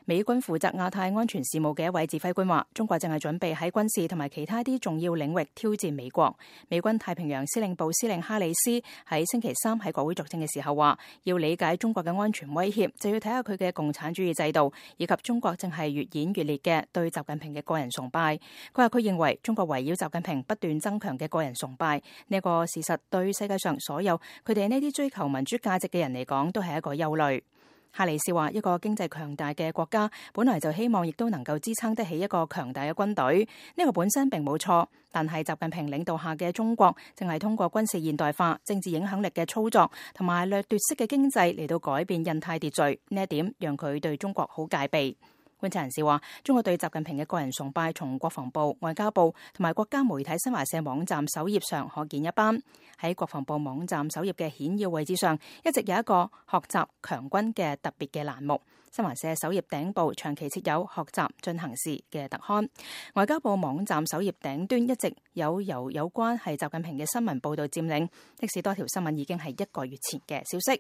美軍負責亞太安全事務嘅一位指揮官話，中國正係準備喺軍事同埋其他啲重要領域挑戰美國。美軍太平洋司令部司令哈里斯喺星期三喺國會作證嘅時候話，要理解中國嘅安全威脅，就要睇下佢嘅共產主義制度，以及中國正係越演越烈嘅對習近平嘅個人崇拜。佢話佢認為中國圍繞習近平不斷增強嘅個人崇拜呢個事實，對世界上所有佢哋呢啲追求民主價值嘅人嚟講，都係一個憂慮。哈里斯話，一個經濟強大嘅國家本來就希望亦都能夠支撐得起一個強大嘅軍隊，呢個本身並冇錯，但係習近平領導下嘅中國正係通過軍事現代化、政治影響力嘅操作同埋掠奪式嘅經濟嚟到改變印太秩序，呢一點讓佢對中國好戒備。觀察人士話，中國對習近平嘅個人崇拜從國防部、外交部同埋國家媒體新華社網站首頁上可見一斑。喺國防部網站首頁嘅顯要位置上，一直有一個學習強軍嘅特別嘅欄目。新華社首頁頂部長期設有學習進行時嘅特刊。外交部網站首頁頂端一直有由有關係習近平嘅新聞報導佔領，即使多條新聞已經係1個月前嘅消息。